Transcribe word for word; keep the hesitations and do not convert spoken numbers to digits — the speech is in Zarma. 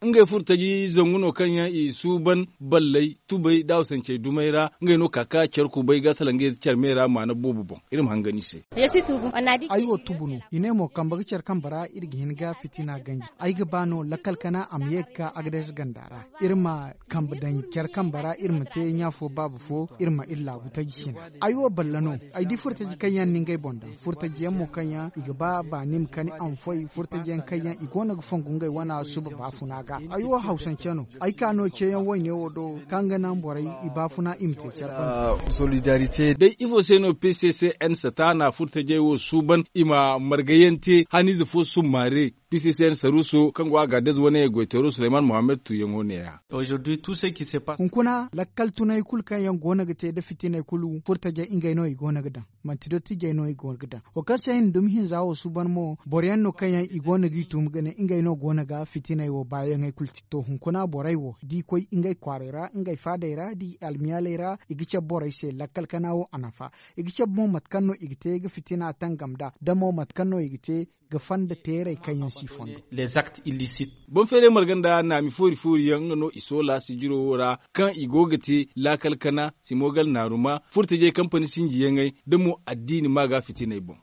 Ngey furo taji zangu no kaŋ yaŋ i suuban balley tubey da hawsancey dumey ra ngey no ka ka care kubay ga salaŋ ga ye care me ra maana boobo boŋ. Iri ma hangan i se. Ay wo tubu no. I ne mo kambe ga care kambe ra iri ga hin ga fitina ganji. Ay ga ba no lakkal kana a ma ye ga ka agades ganda ra. Iri ma kambe daŋ care kambe ra iri ma te ɲa fo baaba fo iri ma iri laabu taji cina. Ay wo balle no. Ay di furo taji kaŋ yaŋ na ngey boŋ daŋ furo taji yaŋ mo kaŋ yaŋ i ga ba baani ma kani a ma foy furo taji yaŋ kaŋ yaŋ i go no ga fongu ngey wana suba baafuna ga. Ay wo hawsance no. Ay ka no ceeyaŋ wayne wo do kaŋ ga naŋ borey i baafuna i ma te care banda. Day ifo se no p c c n sataana furo tajey wo suuban i ma margayaŋ te haniize fo summaare. P c c n saruuso kaŋ go a ga adez wane goyteero suleyman mohammed tuuyaŋo ne- ya. Hunkuna lakkal tunay kulu kaŋ yaŋ go no ga te nda fitiney kulu furo tajey ngey no i go no ga daŋ. Manti dottijey no i go ga daŋ wo kaŋ se i na dumi hinza wo suuban mo boro yaŋ no kaŋ yaŋ i go no g'i tuumi ga ne ngey no go no ga fitiney wo baayaŋey kulu te to hunkuna borey wo da i koy ngey kwaarey ra ngey faadey ra da i almiyaaley ra i ga cabe borey se lakkal kana wo a nafa. I ga cabe mo mate kaŋ no i ga te ga fitina tangam nd'a da mo mate kaŋ no i ga te ga fanda teerey kaŋ yaŋ si fondo. Boŋ feeray marga nda naami foori foori yaŋ nga no i soola sijiro wo ra kaŋ i go ga te laakal kana simogal naaruma furtajey kampani sinjiyaŋey da mo addiini ma ga fitiney boŋ.